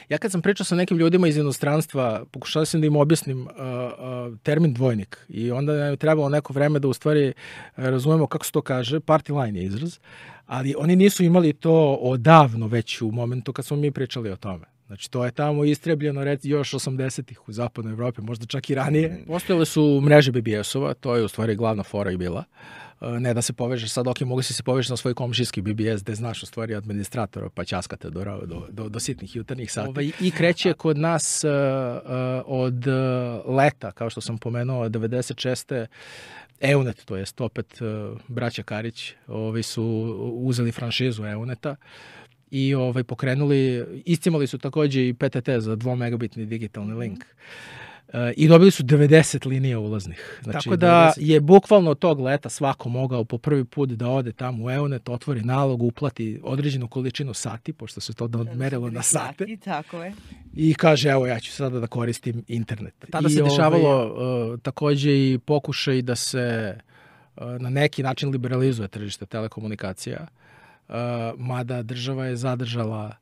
Ja kad sam pričao sa nekim ljudima iz inostranstva, pokušao sam da im objasnim termin dvojnik i onda nam je trebalo neko vreme da u stvari razumemo kako se to kaže, party line je izraz, ali oni nisu imali to odavno već u momentu kad smo mi pričali o tome. Znači, to je tamo istrebljeno još 80-ih u zapadnoj Evropi, možda čak i ranije. Postojale su mreže BBS-ova, to je u stvari glavna fora i bila. Ne da se povežeš sad, ok, mogu se povežeš na svoj komšijski BBS, gde znaš u stvari administratora, pa ćaskate do sitnih jutarnjih sati. I kreće kod nas od leta, kao što sam pomenuo, 96. Eunet, to jest opet braća Karić, su uzeli franšizu Euneta i pokrenuli, iscimali su takođe i PTT za 2 megabitni digitalni link. I dobili su 90 linija ulaznih. Znači, tako da je bukvalno tog leta svako mogao po prvi put da ode tamo u Eunet, otvori nalog, uplati određenu količinu sati, pošto se to merilo na sate. Tako je. I kaže, evo, ja ću sada da koristim internet. Tada se dešavalo takođe i pokušaj da se na neki način liberalizuje tržište telekomunikacija, mada država je zadržala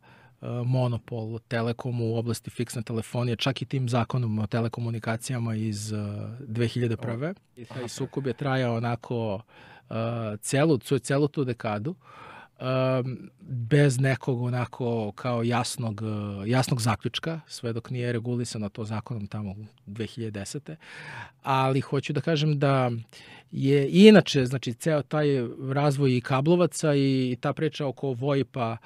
monopol Telekomu u oblasti fiksne telefonije, čak i tim zakonom o telekomunikacijama iz 2001. I taj sukob je trajao onako celu tu dekadu, bez nekog onako kao jasnog zaključka, sve dok nije regulisano to zakonom tamo 2010. Ali hoću da kažem da je inače, znači, ceo taj razvoj i kablovaca i ta priča oko VoIP-a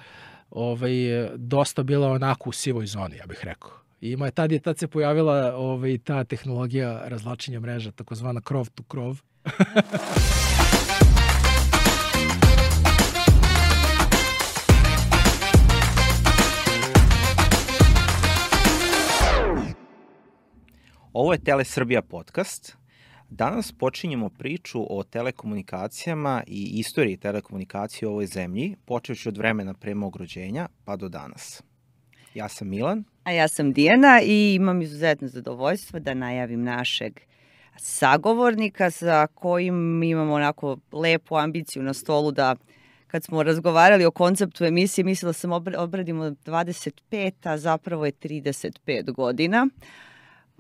dosta bila onako u sivoj zoni, ja bih rekao. I tad se pojavila ta tehnologija razvlačenja mreža, takozvana krov to krov. Ovo je Telesrbija podcast. Danas počinjemo priču o telekomunikacijama i istoriji telekomunikacije u ovoj zemlji, počevši od vremena pre mog rođenja pa do danas. Ja sam Milan. A ja sam Dijana i imam izuzetno zadovoljstvo da najavim našeg sagovornika sa kojim imamo onako lepu ambiciju na stolu da kad smo razgovarali o konceptu emisije, mislila sam obradimo 25, a zapravo je 35 godina.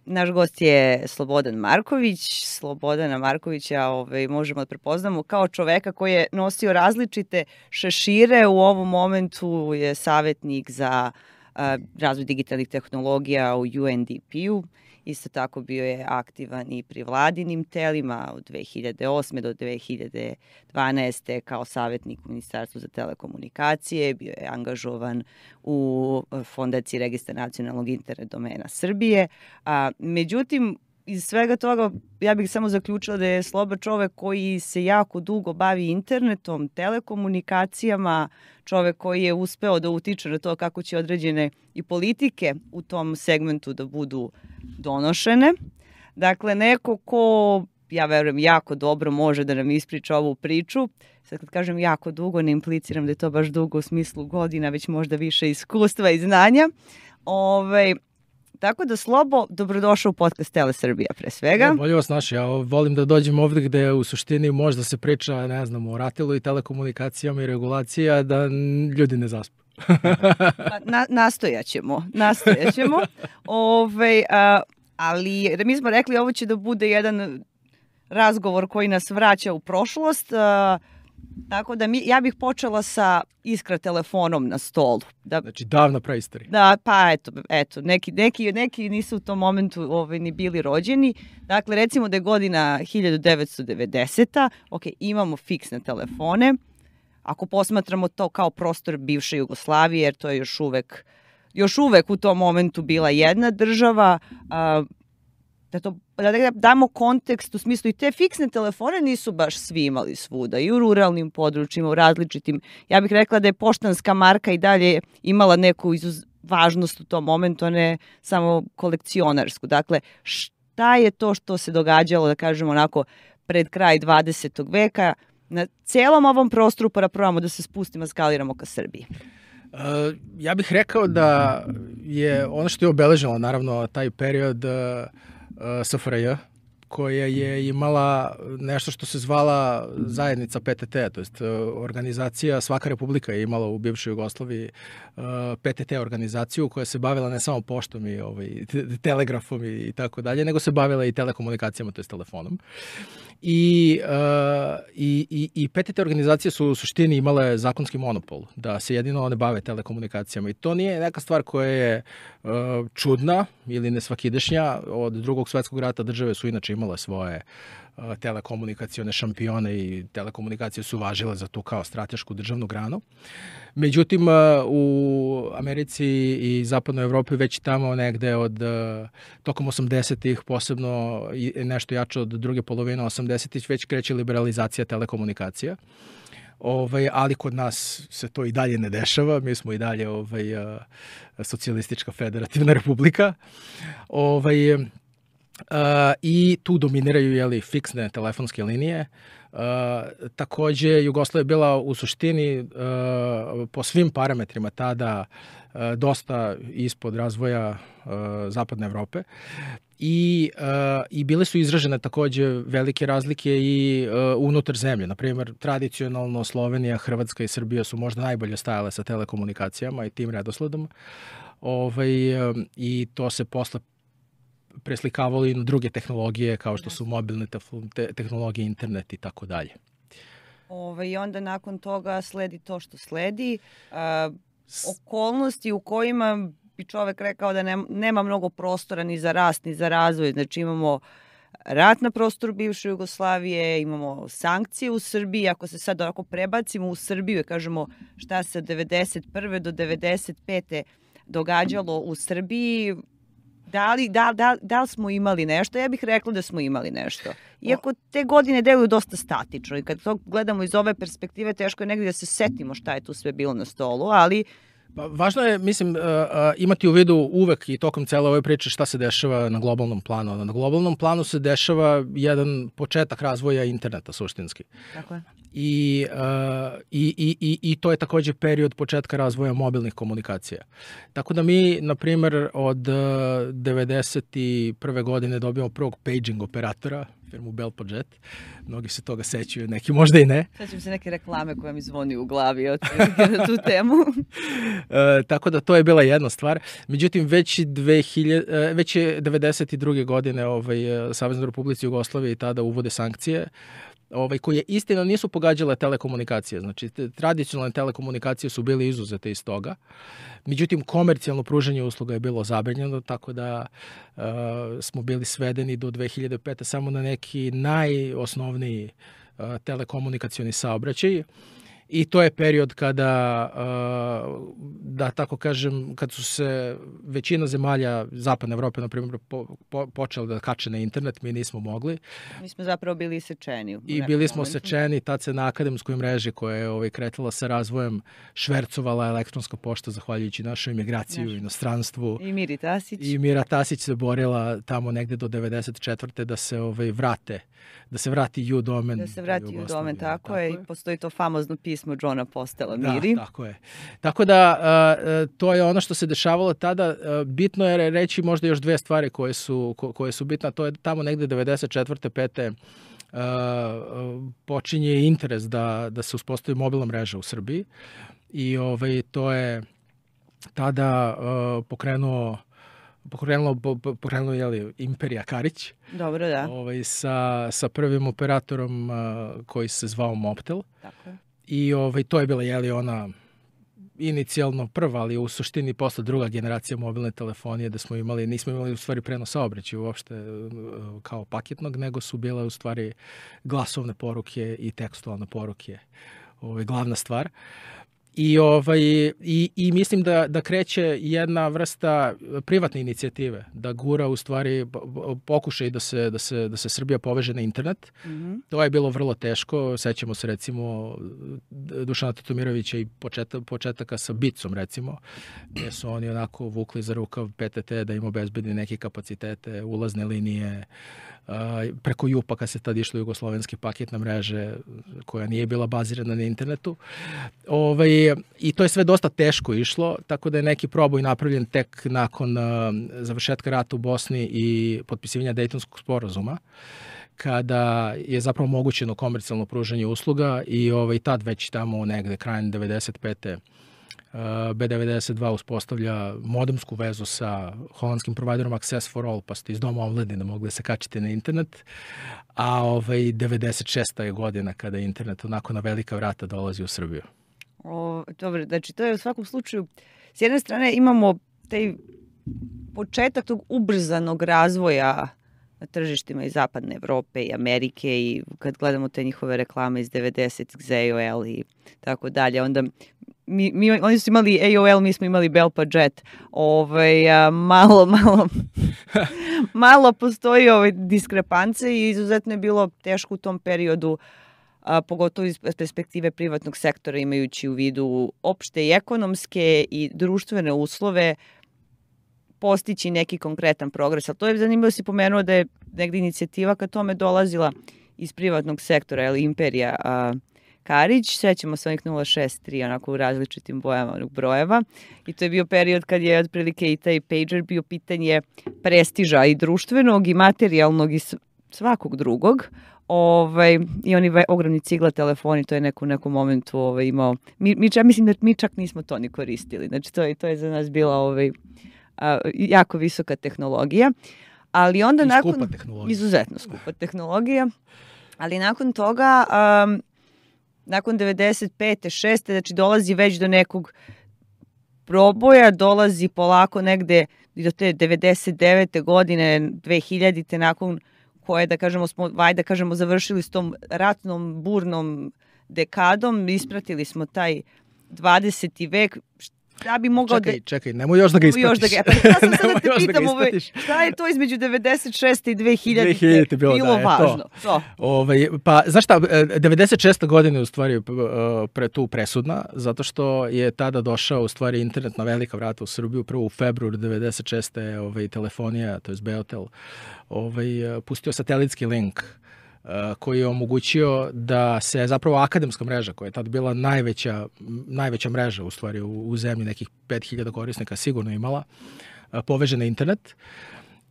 Naš gost je Slobodan Marković. Slobodana Markovića možemo da prepoznamo kao čoveka koji je nosio različite šešire. U ovom momentu je savjetnik za razvoj digitalnih tehnologija u UNDP-u. Isto tako bio je aktivan i pri vladinim telima od 2008. do 2012. kao savjetnik u Ministarstvu za telekomunikacije. Bio je angažovan u Fondaciji registra nacionalnog internet domena Srbije. Međutim, iz svega toga ja bih samo zaključila da je Sloba čovek koji se jako dugo bavi internetom, telekomunikacijama, čovek koji je uspeo da utiče na to kako će određene i politike u tom segmentu da budu donošene. Dakle, neko ko, ja verujem, jako dobro može da nam ispriča ovu priču. Sad kad kažem jako dugo, ne impliciram da je to baš dugo u smislu godina, već možda više iskustva i znanja. Tako da, Slobo, dobrodošao u podcast Telesrbija pre svega. Bolje vas naši, ja volim da dođem ovdje gde u suštini možda se priča, ne znam, o RATEL-u i telekomunikacijama i regulacija, da ljudi ne zaspu. Nastojat ćemo. Ali mi smo rekli ovo će da bude jedan razgovor koji nas vraća u prošlost, tako da ja bih počela sa Iskra telefonom na stolu. Znači davna praistorija. Da, pa eto, neki nisu u tom momentu ni bili rođeni. Dakle, recimo da je godina 1990. Ok, imamo fiksne telefone. Ako posmatramo to kao prostor bivše Jugoslavije, jer to je još uvek u tom momentu bila jedna država, da damo kontekst u smislu i te fiksne telefone nisu baš svi imali svuda i u ruralnim područjima, u različitim. Ja bih rekla da je poštanska marka i dalje imala neku važnost u tom momentu, a ne samo kolekcionarsku. Dakle, šta je to što se događalo, da kažemo onako, pred kraj 20. veka na celom ovom prostoru, pa probamo da se spustimo, skaliramo ka Srbiji? Ja bih rekao da je ono što je obeležilo naravno taj period SFRJ koja je imala nešto što se zvala zajednica PTT, to jest organizacija, svaka republika je imala u bivšoj Jugoslaviji PTT organizaciju koja se bavila ne samo poštom i telegrafom i tako dalje, nego se bavila i telekomunikacijama, to jest telefonom. I PTT organizacije su u suštini imale zakonski monopol, da se jedino one bave telekomunikacijama. I to nije neka stvar koja je čudna ili nesvakidašnja. Od Drugog svetskog rata države su inače imale svoje telekomunikacione šampione i telekomunikacije su važile za tu kao stratešku državnu granu. Međutim, u Americi i zapadnoj Evropi već tamo negde tokom 80-ih, posebno nešto jače od druge polovine 80-ih, već kreće liberalizacija telekomunikacija. Ali kod nas se to i dalje ne dešava. Mi smo i dalje socijalistička federativna republika. I tu dominiraju fiksne telefonske linije. Takođe, Jugoslavija je bila u suštini po svim parametrima tada dosta ispod razvoja zapadne Evrope i bile su izražene takođe velike razlike i unutar zemlje. Naprimjer, tradicionalno Slovenija, Hrvatska i Srbija su možda najbolje stajale sa telekomunikacijama i tim redosledom. I to se posle preslikavalo i na druge tehnologije kao što su mobilne tehnologije, internet i tako dalje. I onda nakon toga sledi to što sledi. Okolnosti u kojima bi čovek rekao da nema mnogo prostora ni za rast, ni za razvoj. Znači imamo rat na prostoru bivše Jugoslavije, imamo sankcije u Srbiji. Ako se sad ovako prebacimo u Srbiju i kažemo šta se od 91. do 95. događalo u Srbiji, da li smo imali nešto? Ja bih rekla da smo imali nešto. Iako te godine deluju dosta statično i kad to gledamo iz ove perspektive, teško je negdje da se setimo šta je tu sve bilo na stolu, ali važno je, mislim, imati u vidu uvek i tokom cele ove priče šta se dešava na globalnom planu. Na globalnom planu se dešava jedan početak razvoja interneta suštinski. Tako je. I to je takođe period početka razvoja mobilnih komunikacija. Tako da mi, na primer, od 91. godine dobijamo prvog paging operatora, firmu Bell Pojet. Mnogi se toga sećaju, neki možda i ne. Sećam se neke reklame koja mi zvoni u glavi na tu temu. Tako da to je bila jedna stvar. Međutim, već je 92. godine Saveznoj Republici Jugoslavije i tada uvode sankcije koje istina nisu pogađale telekomunikacije. Znači, tradicionalne telekomunikacije su bile izuzete iz toga. Međutim, komercijalno pružanje usluga je bilo zabranjeno, tako da smo bili svedeni do 2005. samo na neki najosnovniji telekomunikacioni saobraćaj. I to je period kada, da tako kažem, kad su se većina zemalja Zapadne Evrope, na primjer, počeli da kače na internet, mi nismo mogli. Mi smo zapravo bili isečeni. I bili smo sečeni, tad se na akademskoj mreži koja je kretala sa razvojem švercovala elektronska pošta zahvaljujući našoj emigraciji u inostranstvu. I Miri Tasić. I Mira Tasić se borila tamo negde do 94. da se vrati U-domen. Da se vrati U-domen, tako je. I postoji to famozno pismo Johna Postela Miri. Da, tako je. Tako da to je ono što se dešavalo tada. Bitno je reći možda još dve stvari koje su bitne. To je tamo negde 94. 5. Počinje interes da se uspostavi mobilna mreža u Srbiji i to je tada pokrenuo Imperija Karić. Dobro, da. Sa prvim operatorom koji se zvao Mobtel. Tako je. I to je bila ona inicijalno prva, ali u suštini posle druga generacija mobilne telefonije da nismo imali u stvari prenos saobraćaja uopšte kao paketnog, nego su bile u stvari glasovne poruke i tekstualne poruke. Glavna stvar. I mislim da kreće jedna vrsta privatne inicijative, da gura u stvari pokušaj da se Srbija poveže na internet. Mm-hmm. To je bilo vrlo teško. Sećamo se recimo Dušana Tatomirovića i početaka sa Bicom recimo, gdje su oni onako vukli za rukav PTT da im obezbedi neke kapacitete, ulazne linije, preko Jupaka se tad išlo jugoslovenske paketne mreže koja nije bila bazirana na internetu. I to je sve dosta teško išlo, tako da je neki proboj napravljen tek nakon završetka rata u Bosni i potpisivanja Dejtonskog sporazuma, kada je zapravo omogućeno komercijalno pružanje usluga i tad već tamo negde krajem 95. B92 uspostavlja modemsku vezu sa holandskim providerom Access for All, pa ste iz doma omladine mogli da se kačite na internet, a 96. je godina kada je internet onako na velika vrata dolazi u Srbiju. Dobro, znači to je u svakom slučaju, s jedne strane imamo taj početak tog ubrzanog razvoja na tržištima iz zapadne Evrope i Amerike i kad gledamo te njihove reklame iz 90-ih za AOL i tako dalje, onda oni su imali AOL, mi smo imali Bell pa Jet. Malo postoji diskrepance i izuzetno je bilo teško u tom periodu, pogotovo iz perspektive privatnog sektora, imajući u vidu opšte i ekonomske i društvene uslove, postići neki konkretan progres. Ali to je zanimljivo, si pomenuo da je negdje inicijativa ka tome dolazila iz privatnog sektora, ili Imperija Karić, sećamo se onih 063 onako u različitim bojama onog brojeva, i to je bio period kad je otprilike i taj pager bio pitanje prestiža i društvenog i materijalnog i svakog drugog. I oni ogromni cigla telefoni, to je u nekom momentu imao. Ja mislim da mi čak nismo to ni koristili. Znači to je za nas bila jako visoka tehnologija. Ali onda skupa tehnologija. Izuzetno skupa tehnologija. Ali nakon toga, nakon 95. 6. znači dolazi već do nekog proboja, dolazi polako negde do te 99. godine, 2000. nakon koje, da kažemo, završili s tom ratnom, burnom dekadom, ispratili smo taj 20. vek. Da bi mogao čekaj, nemoj još da ga ispratiš. Ja sam sad da te pitam, šta je to između 96. i 2000. bilo važno? Pa, znaš šta, 96. godine je u stvari tu presudna, zato što je tada došao u stvari internet na velika vrata u Srbiju, prvo u februar 96. telefonija, to je Beotel, pustio satelitski link koji je omogućio da se zapravo akademska mreža, koja je tad bila najveća mreža u stvari u zemlji, nekih 5000 korisnika sigurno imala, poveže na internet.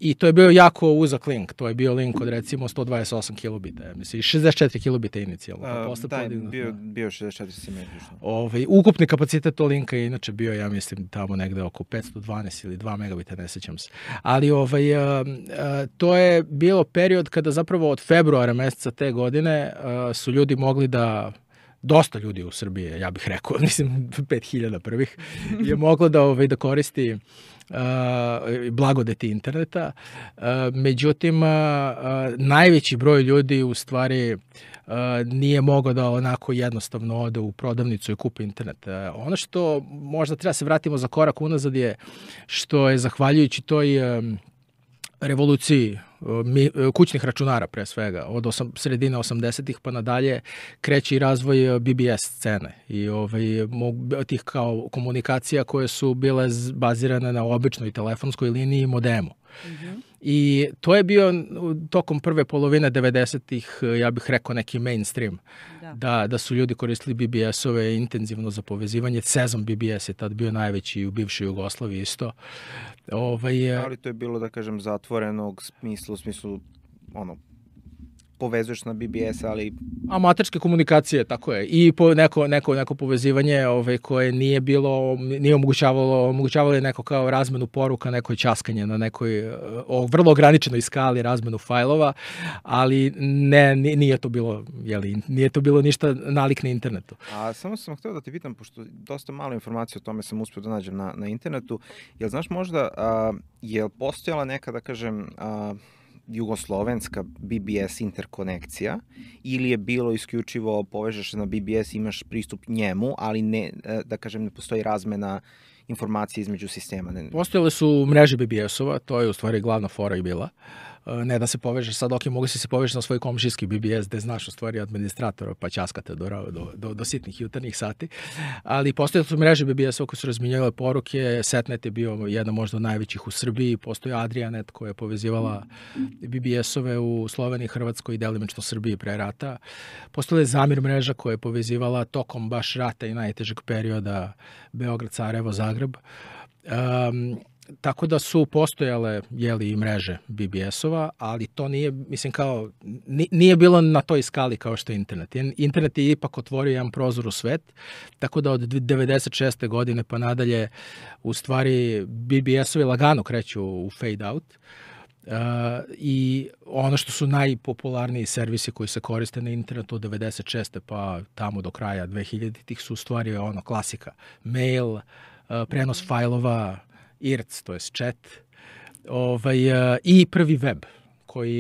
I to je bio jako uzak link. To je bio link od recimo 128 kilobita, mislim, 64 kilobita inicijalno. Bio 64 simetrično. Ukupni kapacitet tog linka je inače bio, ja mislim, tamo negde oko 512 ili 2 megabita, ne sećam se. Ali to je bilo period kada zapravo od februara meseca te godine su ljudi mogli da, dosta ljudi u Srbiji, ja bih rekao, mislim 5000 prvih, je moglo da koristi blagodeti interneta. Međutim, najveći broj ljudi u stvari nije mogao da onako jednostavno ode u prodavnicu i kupi internet. Ono što možda treba se vratimo za korak unazad je što je zahvaljujući toj revoluciji kućnih računara pre svega, od sredine 80-ih pa nadalje kreće i razvoj BBS scene i tih kao komunikacija koje su bile bazirane na običnoj telefonskoj liniji i modemu. Mm-hmm. I to je bio tokom prve polovine 90-ih, ja bih rekao, neki mainstream. Da su ljudi koristili BBS-ove intenzivno za povezivanje. Sezon BBS je tad bio najveći u bivšoj Jugoslaviji isto. Ali to je bilo, da kažem, zatvorenog smisla, u smislu, povezuješ na BBS, ali... Amaterske komunikacije, tako je. I neko povezivanje koje nije omogućavalo je neko kao razmenu poruka, neko ćaskanje na nekoj vrlo ograničenoj skali razmenu fajlova, ali nije to bilo ništa nalik na internetu. A samo sam htio da te pitam, pošto dosta malo informacija o tome sam uspio da nađem na internetu, jel znaš možda, je postojala neka, da kažem, jugoslovenska BBS interkonekcija ili je bilo isključivo povežeš na BBS, imaš pristup njemu, ali ne, da kažem, ne postoji razmena informacije između sistema? Postojale su mreže BBS-ova, to je u stvari glavna fora i bila. ne da se povežeš sad, ok, mogu se povežeš na svoj komšijski BBS gde znaš u stvari administratora pa ćaskate do sitnih jutarnjih sati, ali postoje su mreže BBS-ova koje su razminjavale poruke, Setnet je bio jedan možda od najvećih u Srbiji, postoji Adrianet koja je povezivala BBS-ove u Sloveniji, Hrvatskoj i delimično Srbiji pre rata, postoje Zamir mreža koja je povezivala tokom baš rata i najtežeg perioda Beograd, Sarajevo, Zagreb. Tako da su postojale i mreže BBS-ova, ali to nije, mislim kao, nije bilo na toj skali kao što je internet. Internet je ipak otvorio jedan prozor u svet, tako da od 96. godine pa nadalje u stvari BBS-ovi lagano kreću u fade out. I ono što su najpopularniji servisi koji se koriste na internetu od 96. pa tamo do kraja 2000-ih su u stvari klasika. Mail, prenos fajlova, IRC, to je chat, i prvi web koji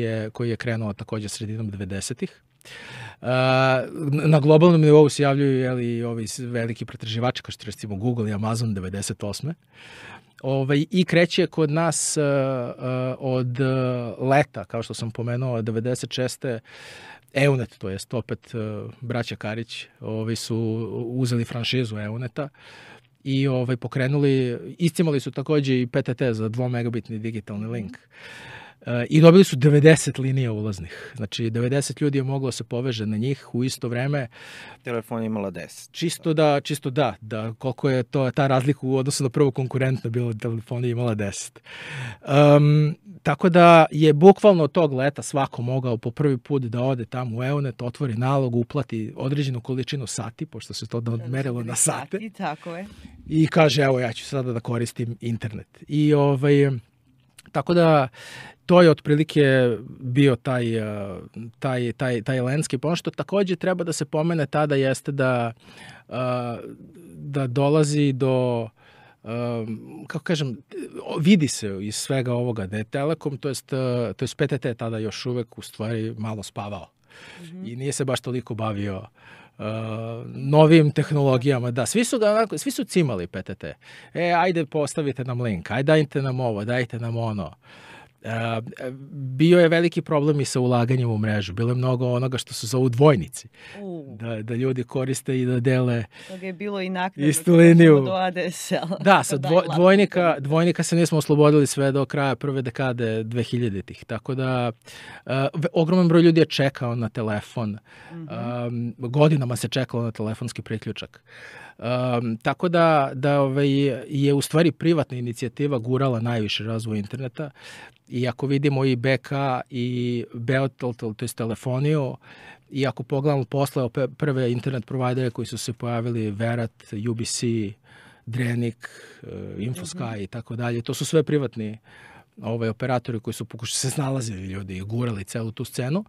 je krenuo takođe sredinom 90-ih. Na globalnom nivou se javljaju i ovi veliki pretraživači kao što recimo Google i Amazon 98. I kreće kod nas od leta, kao što sam pomenuo, 96. EUNET, to jest opet braća Karić, su uzeli franšizu EUNETA i pokrenuli, iscimali su takođe i PTT za 2 megabitni digitalni link. I dobili su 90 linija ulaznih. Znači, 90 ljudi je moglo se poveže na njih u isto vreme. Telefon je imala 10. Čisto da koliko je ta razlika u odnosu na prvo konkurentno bilo, telefon je imala 10. Tako da je bukvalno od tog leta svako mogao po prvi put da ode tamo u EUNET, otvori nalog, uplati određenu količinu sati, pošto se to merilo na sate. Tako je. I kaže, evo, ja ću sada da koristim internet. I tako da to je otprilike bio taj landscape. Ono što takođe treba da se pomene tada jeste da dolazi do, kako kažem, vidi se iz svega ovoga da je Telekom, to jest PTT tada još uvek u stvari malo spavao. I nije se baš toliko bavio novim tehnologijama. Da, svi su cimali PTT. Ajde postavite nam link, ajde dajte nam ovo, dajte nam ono. Bio je veliki problem i sa ulaganjem u mrežu. Bilo je mnogo onoga što se zovu dvojnici. Da ljudi koriste i da dele toga je bilo i naknadno istu liniju. Do ADSL. Da, sa dvojnika se nismo oslobodili sve do kraja prve dekade 2000-ih. Tako da ogroman broj ljudi je čekao na telefon. Godinama se čekalo na telefonski priključak. Tako da je u stvari privatna inicijativa gurala najviše razvoj interneta i ako vidimo i BK i Beotel, to je telefoniju, i ako pogledamo posle prve internet provajdere koji su se pojavili, Verat, UBC, Drenik, Infosky i tako dalje, to su sve privatni operatori koji su se snalazili ljudi i gurali celu tu scenu.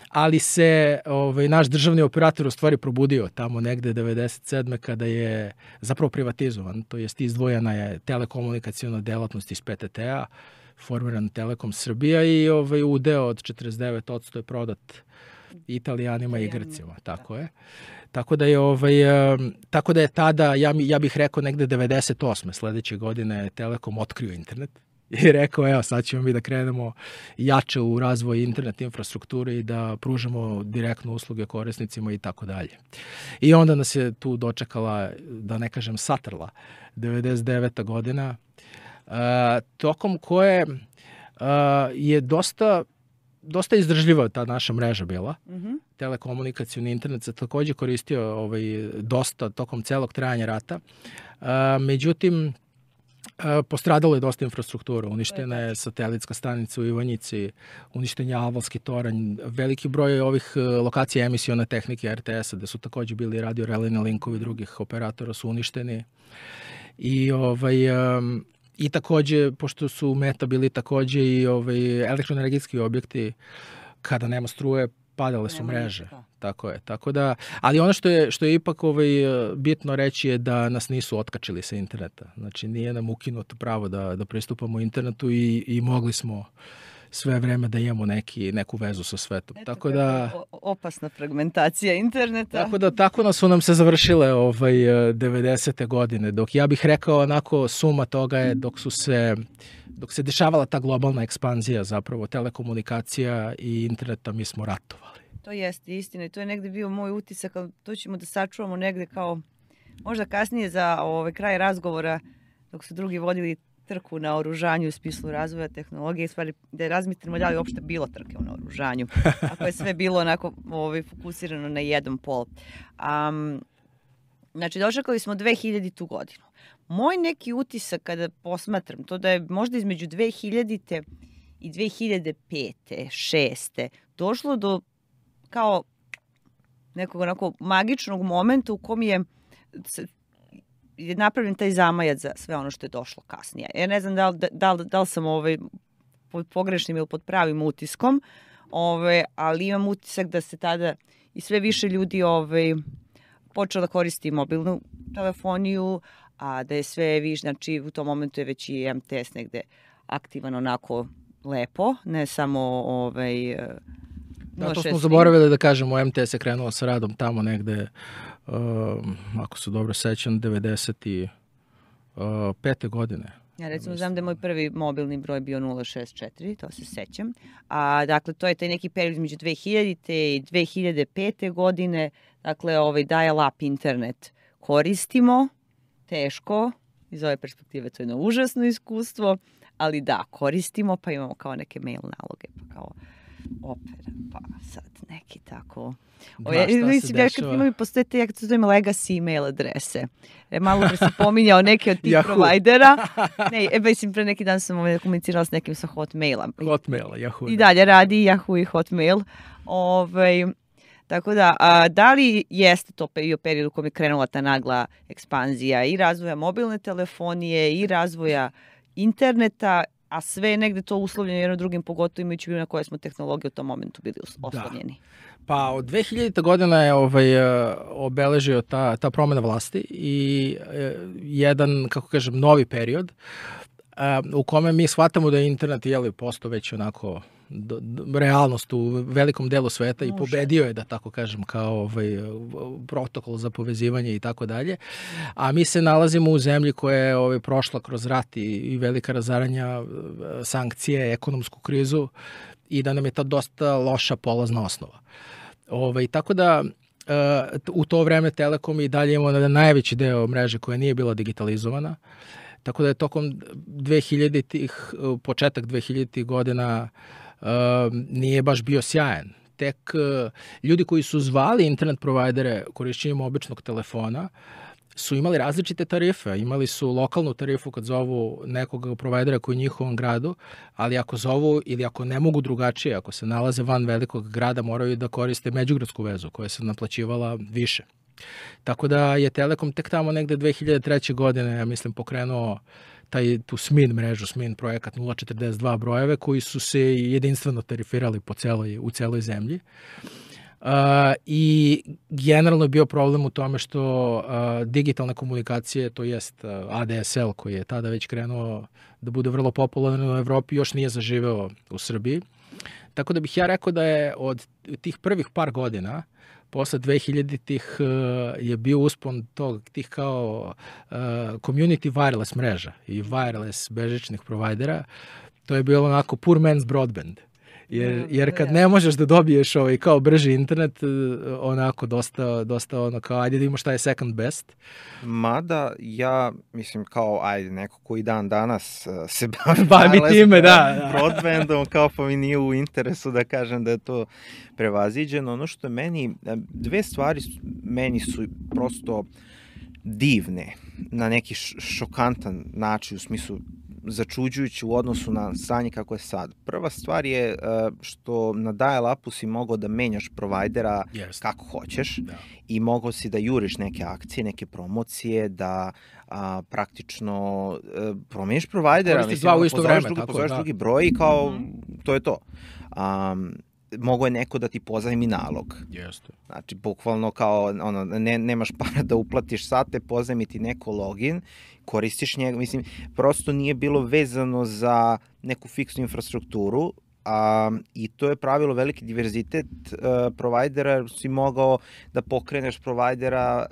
Ali se naš državni operator u stvari probudio tamo negde 97. kada je zapravo privatizovan, to jest izdvojena je telekomunikacijona delatnost iz PTT-a, formiran Telekom Srbija i udeo od 49% je prodat Italijanima i Grcima, tako je. Tako da je tada, ja bih rekao negde 98. sledeće godine Telekom otkrio internet. I rekao, evo, sad ćemo mi da krenemo jače u razvoj internet infrastrukture i da pružamo direktno usluge korisnicima i tako dalje. I onda nas je tu dočekala, da ne kažem satrla, 99. godina, tokom koje je dosta izdržljiva ta naša mreža bila. Telekomunikacijni internet se takođe koristio dosta tokom celog trajanja rata. Međutim, postradalo je dosta infrastruktura, uništena je satelitska stanica u Ivanjici, uništen je Alvalski toranj, veliki broj ovih lokacija emisione tehnike RTS-a, gde su takođe bili radio-relejni linkovi drugih operatora su uništeni. I takođe, pošto su Meta bili takođe i elektroenergetski objekti, kada nema struje, padale su mreže. Tako je. Tako da, ali ono što je ipak bitno reći je da nas nisu otkačili sa interneta. Znači, nije nam ukinuto pravo da pristupamo internetu i mogli smo sve vreme da imamo neku vezu sa svetom. Tako da opasna fragmentacija interneta. Tako su nam se završile 90. godine. Dok ja bih rekao onako suma toga je dok dok se dešavala ta globalna ekspanzija zapravo telekomunikacija i interneta, mi smo ratovali. To jeste istina i to je negde bio moj utisak, ali to ćemo da sačuvamo negde kao možda kasnije za kraj razgovora dok su drugi vodili trku na oružanju u smislu razvoja tehnologije, stvari da razmislimo da li uopšte bilo trke na oružanju, ako je sve bilo onako fokusirano na jedan pol. Znači, dočekali smo 2000. godinu. Moj neki utisak kada posmatram to da je možda između 2000. i 2005. 6. došlo do kao nekog onako magičnog momenta u kom je napravljen taj zamajac za sve ono što je došlo kasnije. Ja ne znam da li sam pod pogrešnim ili pod pravim utiskom, ali imam utisak da se tada i sve više ljudi počeo da koristi mobilnu telefoniju, a da je sve više, znači u tom momentu je već i MTS negde aktivan onako lepo, ne samo Da, to smo zaboravili da kažemo, MTS je krenuo sa radom tamo negde, ako se dobro sećam, 95. godine. Ja recimo znam da je moj prvi mobilni broj bio 064, to se sećam. Dakle, to je taj neki period između 2000. i 2005. godine. Dakle, dial-up internet koristimo, teško, iz ove perspektive to je jedno užasno iskustvo, ali da, koristimo, pa imamo kao neke mail naloge, pa kao Opera, pa sad neki tako. Šta se dešava? Postoje te, jak se zovem, legacy email adrese. Malo pre sam pominjao neke od tih provajdera. Mislim, pre neki dan sam komunicirala s nekim sa Hotmaila. Hotmaila, Yahoo. I dalje radi Yahoo i Hotmail. Tako da, da li jeste to bio period u kojem je krenula ta nagla ekspanzija i razvoja mobilne telefonije i razvoja interneta, a sve je negde to uslovljeno jedno drugim, pogotovo imajući na koje smo tehnologije u tom momentu bili oslovljeni. Pa od 2000. godina je obeležio ta promena vlasti i jedan, kako kažem, novi period u kome mi shvatamo da je internet postao već onako realnost u velikom delu sveta i pobedio je, da tako kažem, kao protokol za povezivanje i tako dalje. A mi se nalazimo u zemlji koja je prošla kroz rat i velika razaranja, sankcije, ekonomsku krizu i da nam je ta dosta loša polazna osnova. Tako da u to vreme Telekom i dalje imamo najveći deo mreže koja nije bila digitalizovana. Tako da je tokom 2000-ih, početak 2000-ih godina nije baš bio sjajan. Tek ljudi koji su zvali internet provajdere korišćenjem običnog telefona su imali različite tarife. Imali su lokalnu tarifu kad zovu nekog provajdera koji je u njihovom gradu, ali ako zovu ili ako ne mogu drugačije, ako se nalaze van velikog grada, moraju da koriste međugradsku vezu koja se naplaćivala više. Tako da je Telekom tek tamo negde 2003. godine, ja mislim, pokrenuo tu SMIN mrežu, SMIN projekat 042 brojeve koji su se jedinstveno tarifirali u celoj zemlji. I generalno je bio problem u tome što digitalne komunikacije, to jest ADSL koji je tada već krenuo da bude vrlo popularan u Evropi, još nije zaživeo u Srbiji. Tako da bih ja rekao da je od tih prvih par godina posle 2000-ih je bio uspon tih kao community wireless mreža i wireless bežičnih provajdera. To je bilo onako poor man's broadband. Jer kad ne možeš da dobiješ kao brži internet, onako dosta ono kao ajde da imamo šta je second best. Mada ja mislim kao neko koji dan danas se bavi time, da. Broadbandom, kao pa mi nije u interesu da kažem da je to prevaziđeno. Ono što je meni, dve stvari meni su prosto divne na neki šokantan način, u smislu začuđujući u odnosu na stanje kako je sad. Prva stvar je što na dial-upu si mogao da menjaš provajdera kako hoćeš i mogao si da juriš neke akcije, neke promocije, da praktično promeniš provajdera. Koristiš dva u isto vreme. Pozoveš drugi broj i kao to je to. Mogo je neko da ti pozajmi nalog. Jeste. Znači, bukvalno kao, nemaš para da uplatiš sate, pozajmi ti neko login, koristiš njega, mislim, prosto nije bilo vezano za neku fiksnu infrastrukturu, i to je pravilo veliki diverzitet provajdera, jer si mogao da pokreneš provajdera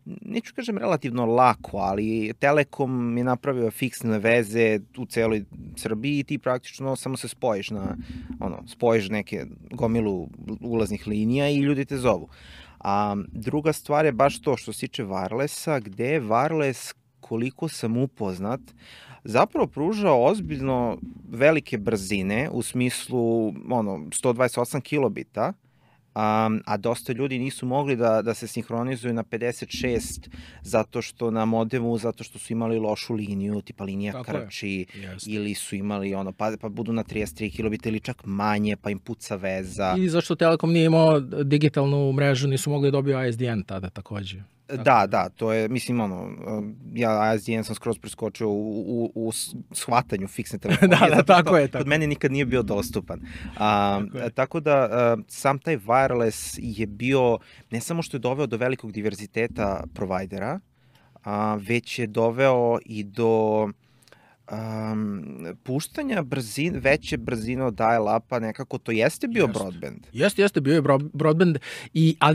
neću kažem relativno lako, ali Telekom je napravio fiksne veze u celoj Srbiji i ti praktično samo se spojiš spojiš neke gomilu ulaznih linija i ljudi te zovu. A druga stvar je baš to što se tiče wirelessa, gde je wireless, koliko sam upoznat, zapravo pružao ozbiljno velike brzine u smislu 128 kilobita, a dosta ljudi nisu mogli da se sinhronizuju na 56 zato što su imali lošu liniju, tipa linija krči, ili su imali pa budu na 33 kilobita ili čak manje, pa im puca veza. I zašto Telekom nije imao digitalnu mrežu, nisu mogli dobiti ISDN tada takođe. Da, to je, mislim, ja ISDN sam skroz preskočio u shvatanju fiksne telefonije. Tako je. Kod mene nikad nije bio dostupan. Tako da, sam taj wireless je bio, ne samo što je doveo do velikog diverziteta provajdera, već je doveo i do puštanja veće brzine od dial-upa, nekako to jeste bio broadband. Jeste, bio je broadband,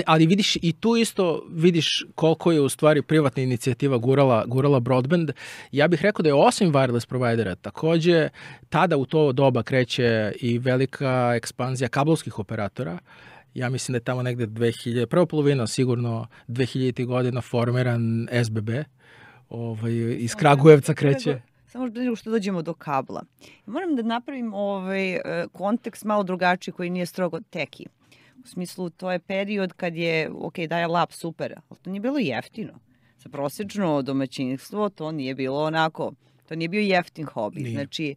ali vidiš, i tu isto vidiš koliko je u stvari privatna inicijativa gurala broadband. Ja bih rekao da je osim wireless provajdera, takođe tada u to doba kreće i velika ekspanzija kablovskih operatora. Ja mislim da je tamo negde prva polovina sigurno 2000. godina formiran SBB, iz Kragujevca kreće. Samo nego što dođemo do kabla. Moram da napravim kontekst malo drugačiji koji nije strogo teki. U smislu, to je period kad je, dial-up super, ali to nije bilo jeftino. Za prosečno domaćinstvo to nije bilo onako, to nije bio jeftin hobi. Nije. Znači,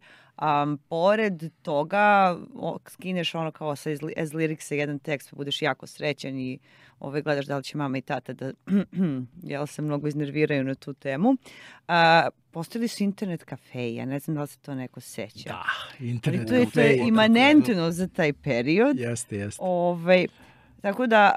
pored toga, skineš kao sa S-Lyricsa jedan tekst, pa budeš jako srećan i gledaš da li će mama i tata da se mnogo iznerviraju na tu temu. Postojali su internet kafeji, ja ne znam da li se to neko seća. Da, internet kafeji. To je imanentno za taj period. Jeste. Tako da...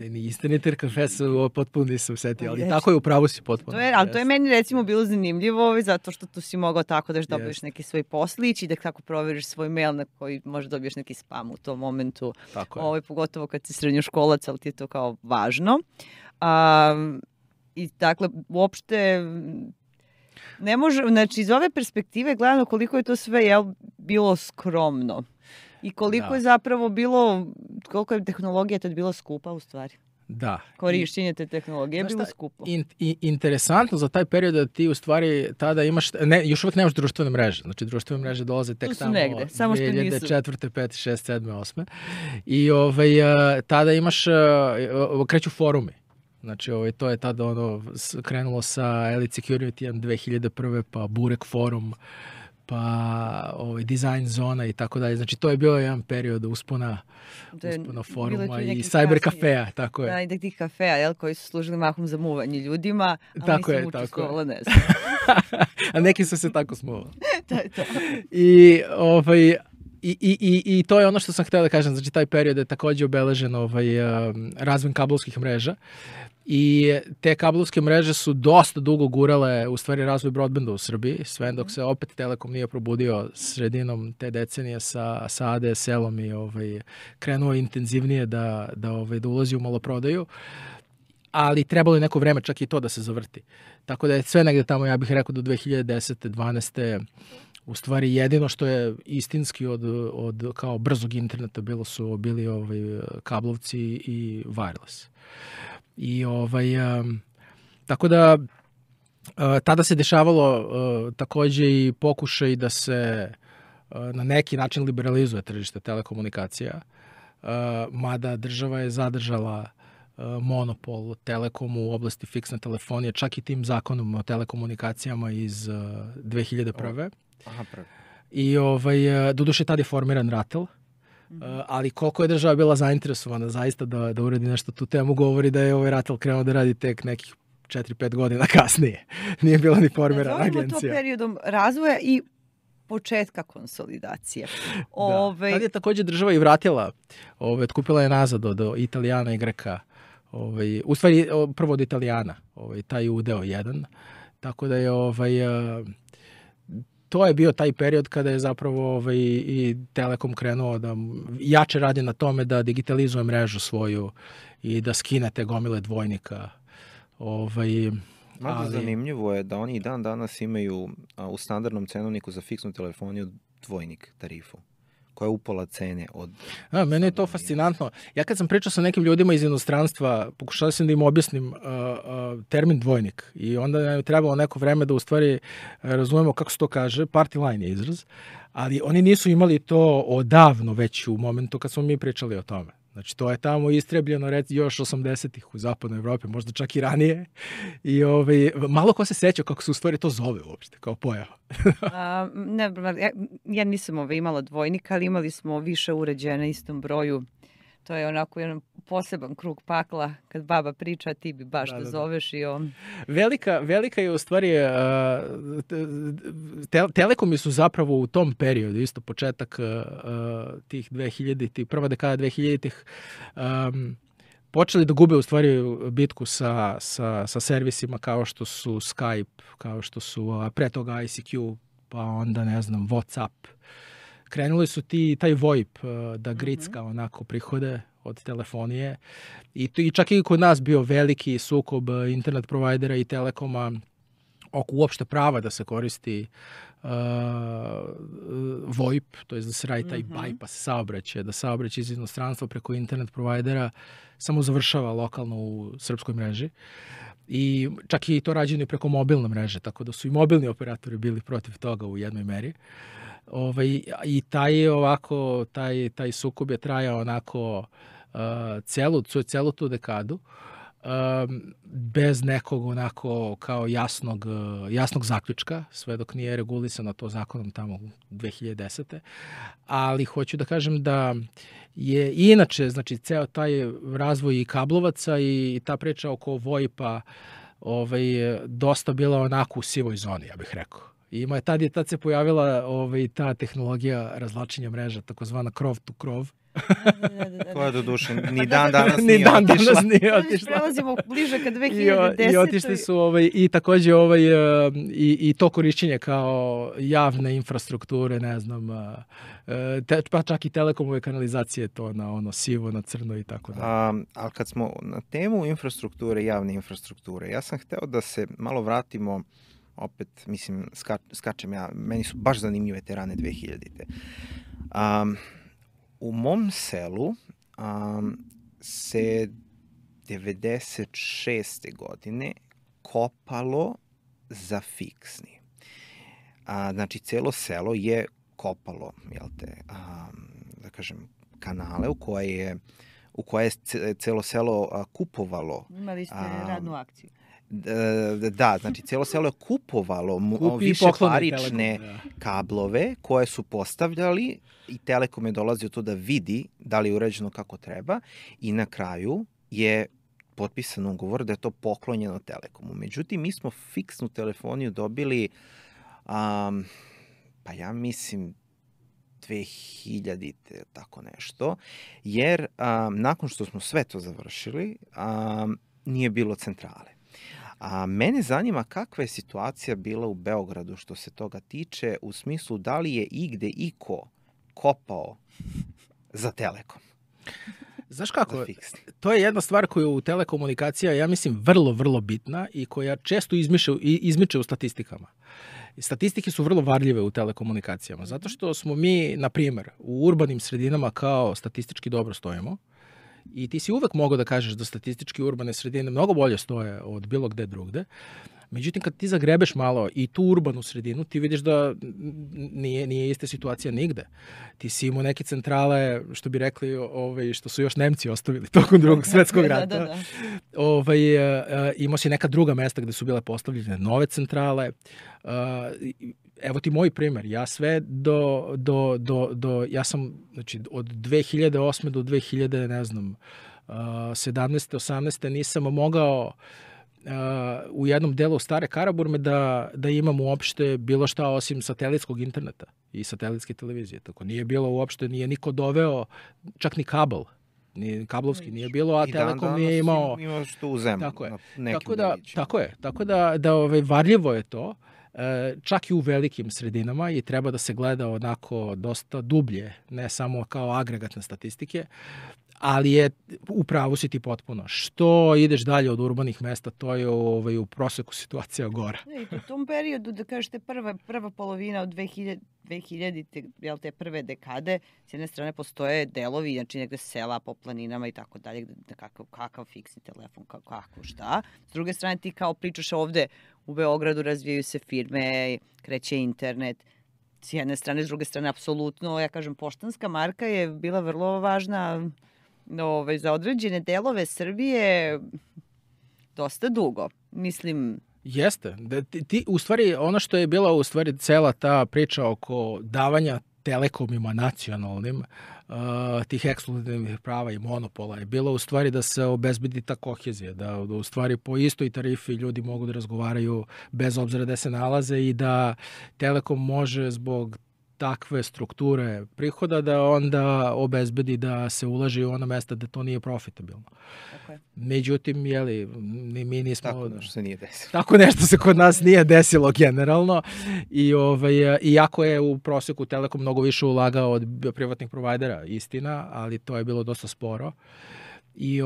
Internet kafe su potpuno nisam setio, ali tako je, upravo si potpuno. Ali to je meni recimo bilo zanimljivo, zato što tu si mogao tako da dobiješ neki svoj poslić i da tako proveriš svoj mail na koji možda dobiješ neki spam u tom momentu. Pogotovo kad si srednjoškolac, ali ti je to kao važno. I dakle, uopšte ne može, znači iz ove perspektive gledano koliko je to sve bilo skromno i koliko je zapravo bilo, koliko je tehnologija tad bila skupa u stvari. Da. Korišćenje te tehnologije je bilo skupo. Interesantno za taj period da ti u stvari tada imaš, još uvek nemaš društvene mreže. Znači društvene mreže dolaze tek tamo 2004. 5. 6. 7. 8. I tada imaš, kreću forumi. Znači, to je tada krenulo sa Elite Security 2001. pa Burek forum, pa Design zona i tako dalje. Znači, to je bio jedan period uspona foruma i cyber kafeja, tako je. Da, i tih kafeja, koji su služili mahom za muvanje ljudima, ali nisam učestvovala, ne znam. A neki su se tako smuvali. To je to. I to je ono što sam htio da kažem, znači taj period je takođe obeležen razvoj kablovskih mreža i te kablovske mreže su dosta dugo gurale u stvari razvoj broadbanda u Srbiji, sve dok se opet Telekom nije probudio sredinom te decenije sa ADSL-om i krenuo intenzivnije da ulazi u maloprodaju, ali trebalo je neko vreme čak i to da se zavrti. Tako da je sve negde tamo, ja bih rekao, do 2010. 12. U stvari jedino što je istinski od kao brzog interneta bili kablovci i wireless. I tako da tada se dešavalo takođe i pokušaj da se na neki način liberalizuje tržište telekomunikacija, mada država je zadržala monopol Telekomu u oblasti fiksne telefonije, čak i tim zakonom o telekomunikacijama iz 2001. Aha, prvi. I doduše tad je formiran RATEL, ali koliko je država bila zainteresovana zaista da uradi nešto tu temu, govori da je RATEL krenuo da radi tek nekih 4-5 godina kasnije. Nije bila ni formirana agencija. Nazovimo to periodom razvoja i početka konsolidacije. Tad je takođe država i vratila, otkupila je nazad od Italijana i Greka, u stvari prvo od Italijana, taj udeo jedan, tako da je to je bio taj period kada je zapravo i Telekom krenuo da jače radi na tome da digitalizuje mrežu svoju i da skine te gomile dvojnika. Malo zanimljivo je da oni i dan danas imaju u standardnom cenovniku za fiksnu telefoniju dvojnik tarifu, koja je upola cene od... Mene je to fascinantno. Ja kad sam pričao sa nekim ljudima iz inostranstva, pokušao sam da im objasnim termin dvojnik i onda nam je trebalo neko vreme da u stvari razumemo kako se to kaže, party line je izraz, ali oni nisu imali to odavno već u momentu kad smo mi pričali o tome. Znači, to je tamo istrebljeno još 80-ih u zapadnoj Evropi, možda čak i ranije. I malo ko se seća kako se u stvari to zove uopšte, kao pojava. Ja nisam imala dvojnika, ali imali smo više uređaja na istom broju. To je onako jedan poseban krug pakla. Kad baba priča, ti bi baš da zoveš i on... Velika je u stvari... Telekomi su zapravo u tom periodu, isto početak tih 2000-ih, prva dekada 2000-ih, počeli da gube u stvari bitku sa servisima kao što su Skype, kao što su pre toga ICQ, pa onda, ne znam, WhatsApp. Krenuli su taj VoIP da gricka onako prihode od telefonije i čak i kod nas bio veliki sukob internet provajdera i Telekoma oko uopšte prava da se koristi VoIP, to je da se radi taj bypass saobraćaj, da saobraćaj iz inostranstva preko internet provajdera samo završava lokalno u srpskoj mreži. I čak i to rađeno preko mobilne mreže, tako da su i mobilni operatori bili protiv toga u jednoj meri. I taj sukob je trajao onako celu tu dekadu bez nekog onako kao jasnog zaključka, sve dok nije regulisano to zakonom tamo 2010. Ali hoću da kažem da je inače, znači, ceo taj razvoj i kablovaca i ta priča oko VoIP-a dosta bila onako u sivoj zoni, ja bih rekao. I tad se pojavila ta tehnologija razvlačenja mreža, takozvana krov to krov. Koja do duše ni dan danas nije otišla. Prelazimo bliže ka 2010. I otišli su i takođe i to korišćenje kao javne infrastrukture, ne znam, pa čak i telekomove kanalizacije to na ono sivo, na crno i tako da. Ali kad smo na temu infrastrukture, javne infrastrukture, ja sam hteo da se malo vratimo, opet, mislim, skačem ja, meni su baš zanimljive te rane 2000-te. U mom selu se 96. godine kopalo za fiksni. Znači, celo selo je kopalo, da kažem, kanale u koje je celo selo kupovalo. Imali ste radnu akciju. Da, znači celo selo je kupovalo višeparične kablove koje su postavljali i Telekom je dolazio to da vidi da li je uređeno kako treba i na kraju je potpisan ugovor da je to poklonjeno Telekomu. Međutim, mi smo fiksnu telefoniju dobili, pa ja mislim 2000-te, tako nešto, jer nakon što smo sve to završili, nije bilo centrale. Mene zanima kakva je situacija bila u Beogradu što se toga tiče, u smislu da li je igde iko kopao za Telekom. Znaš kako, to je jedna stvar koja u telekomunikacija, ja mislim, vrlo, vrlo bitna i koja često izmiče u statistikama. Statistike su vrlo varljive u telekomunikacijama, zato što smo mi, na primjer, u urbanim sredinama kao statistički dobro stojimo. I ti si uvek mogao da kažeš da statistički urbane sredine mnogo bolje stoje od bilo gde drugde. Međutim, kad ti zagrebeš malo i tu urbanu sredinu, ti vidiš da nije ista situacija nigde. Ti si imao neke centrale, što bi rekli, što su još Nemci ostavili tokom Drugog svetskog rata. Imao si neka druga mesta gde su bile postavljene nove centrale. Evo ti moj primer. Ja sve ja sam, znači, od 2008. do 2000, ne znam, 17. 18. nisam mogao u jednom delu Stare Karaburme da imam uopšte bilo šta osim satelitskog interneta i satelitske televizije. Tako nije bilo uopšte, nije niko doveo, čak ni kabel. Ni kablovski nije bilo, a Telekom nije imao. Imaš to u zemlju. Tako je, varljivo je to. čak i u velikim sredinama i treba da se gleda onako dosta dublje, ne samo kao agregatne statistike, ali je u pravu si ti potpuno. Što ideš dalje od urbanih mesta, to je u proseku situacija gora. I u tom periodu, da kažete, prva polovina od 2000 te prve dekade, s jedne strane postoje delovi, znači negde sela po planinama i tako dalje, kakav fiksni telefon, kako šta. S druge strane ti kao pričaš ovde u Beogradu, razvijaju se firme, kreće internet, s jedne strane, s druge strane, apsolutno, ja kažem, poštanska marka je bila vrlo važna za određene delove Srbije dosta dugo. Mislim... Jeste. U stvari, ono što je bila u stvari cela ta priča oko davanja telekomima nacionalnim, tih ekskluzivnih prava i monopola je bilo u stvari da se obezbedi ta kohezija, da u stvari po istoj tarifi ljudi mogu da razgovaraju bez obzira gde se nalaze i da Telekom može zbog takve strukture prihoda da onda obezbedi da se ulaže u ona mesta da to nije profitabilno. Okay. Međutim, mi nismo... Tako nešto se nije desilo. Tako nešto se kod nas nije desilo generalno i iako je u proseku Telekom mnogo više ulagao od privatnih provajdera, istina, ali to je bilo dosta sporo. I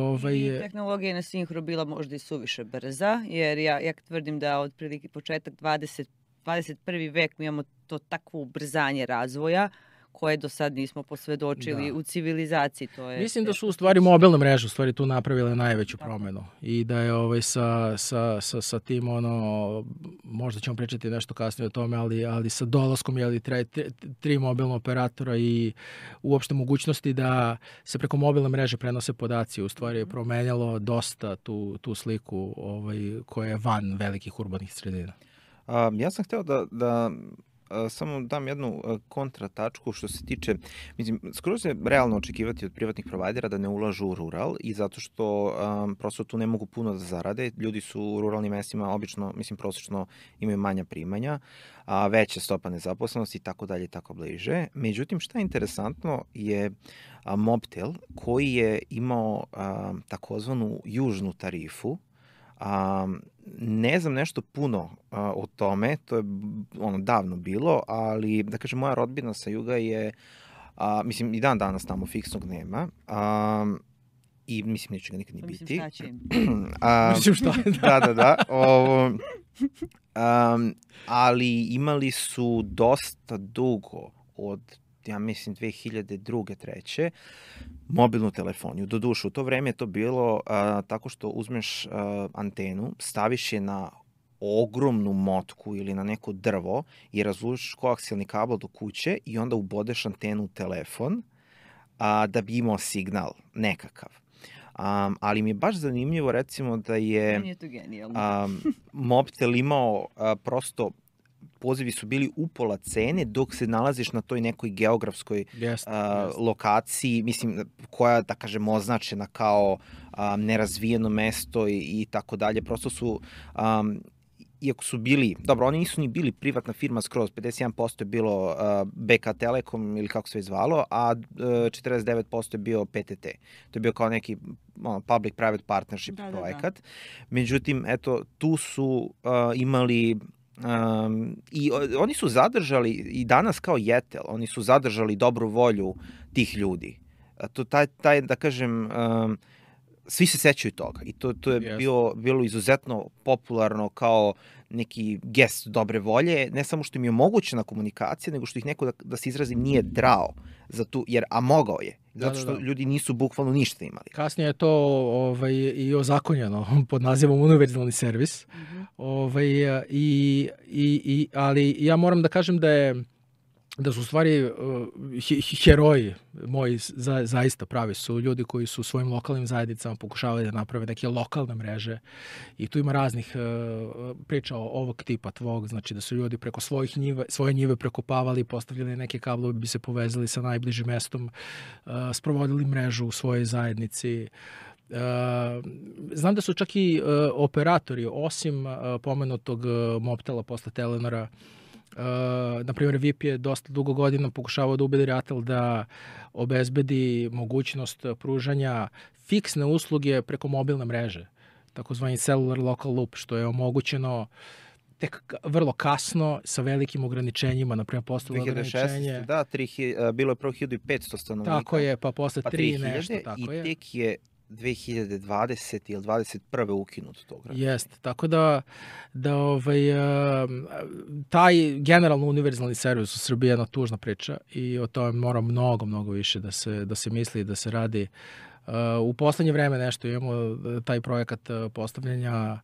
tehnologija je na sinhro bila možda i suviše brza, jer ja tvrdim da otprilike početak 21. vek mi imamo to takvo ubrzanje razvoja koje do sad nismo posvedočili u civilizaciji. Mislim da su u stvari mobilne mreže u stvari tu napravile najveću promenu i da je sa tim možda ćemo pričati nešto kasnije o tome, ali sa dolaskom tri mobilna operatora i uopšte mogućnosti da se preko mobilne mreže prenose podaci u stvari je promenjalo dosta tu sliku koja je van velikih urbanih sredina. Ja sam hteo da samo dam jednu kontratačku što se tiče, mislim, skoro je realno očekivati od privatnih provajdera da ne ulažu u rural i zato što prosto tu ne mogu puno da zarade. Ljudi su u ruralnim mestima obično, mislim, prosečno imaju manja primanja, veća stopa nezaposlenosti i tako dalje i tako bliže. Međutim, šta je interesantno je Mobtel koji je imao takozvanu južnu tarifu. Ne znam nešto puno o tome, to je davno bilo, ali da kažem moja rodbina sa juga je, mislim i dan danas tamo fiksnog nema i mislim neće ga nikad ni biti. Mislim šta će im. Mislim šta je, da. Ali imali su dosta dugo od ja mislim 2002. treće, mobilnu telefoniju. Doduše, u to vreme je to bilo tako što uzmeš antenu, staviš je na ogromnu motku ili na neko drvo i razvučeš koaksijalni kabel do kuće i onda ubodeš antenu u telefon da bi imao signal nekakav. Ali mi je baš zanimljivo recimo da je Mobtel imao prosto pozivi su bili upola cene dok se nalaziš na toj nekoj geografskoj lokaciji, mislim, koja, da kažem, označena kao nerazvijeno mesto i tako dalje. Prosto su, iako su bili, dobro, oni nisu ni bili privatna firma skroz, 51% je bilo BK Telekom ili kako se već zvalo, a 49% je bio PTT. To je bio kao neki public-private partnership projekat. Međutim, eto, tu su imali... I oni su zadržali i danas kao Jetel, oni su zadržali dobru volju tih ljudi. Taj da kažem, svi se sećaju toga i to je bilo izuzetno popularno kao neki gest dobre volje, ne samo što im je omogućena komunikacija, nego što ih neko, da se izrazim, nije drao za tu, a mogao je. Zato što ljudi nisu bukvalno ništa imali. Kasnije je to i ozakonjeno pod nazivom univerzalni servis. Ali ja moram da kažem da su u stvari heroji moji zaista pravi su ljudi koji su svojim lokalnim zajednicama pokušavali da naprave neke lokalne mreže i tu ima raznih priča ovog tipa tvog, znači da su ljudi preko svoje njive prekopavali, postavljali neke kablove, bi se povezali sa najbližim mestom, sprovodili mrežu u svojoj zajednici. Znam da su čak i operatori, osim pomenutog Mobtela posle Telenora, na primjer VIP je dosta dugo godina pokušavao da ubedi RATEL da obezbedi mogućnost pružanja fiksne usluge preko mobilne mreže, takozvani cellular local loop, što je omogućeno tek vrlo kasno, sa velikim ograničenjima, naprimjer postalo ograničenje. 2016. Da, bilo je prvo 1500 stanovnika. Tako je, pa posle 3 nešto, tako je. I tek je 2020. ili 21. ukinut to ograničenje. Jeste, tako da taj generalno univerzalni servis u Srbiji je jedna tužna priča i o tome mora mnogo više da se misli i da se radi. U poslednje vreme nešto imamo taj projekat postavljanja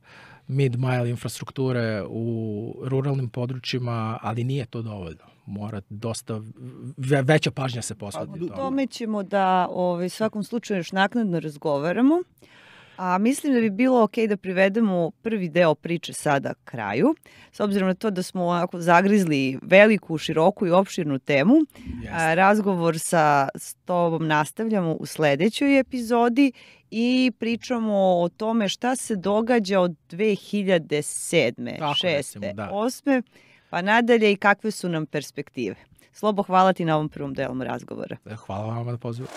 mid-mile infrastrukture u ruralnim područjima, ali nije to dovoljno. Mora dosta veća pažnja se posvetiti. O tome ćemo da svakom slučaju još naknadno razgovaramo. A mislim da bi bilo okej da privedemo prvi deo priče sada kraju, s obzirom na to da smo onako zagrizli veliku, široku i opširnu temu. Razgovor sa tobom nastavljamo u sledećoj epizodi i pričamo o tome šta se događa od 2007. 6. 8. pa nadalje i kakve su nam perspektive. Slobo, hvala ti na ovom prvom delu razgovora. Hvala vam na pozivu.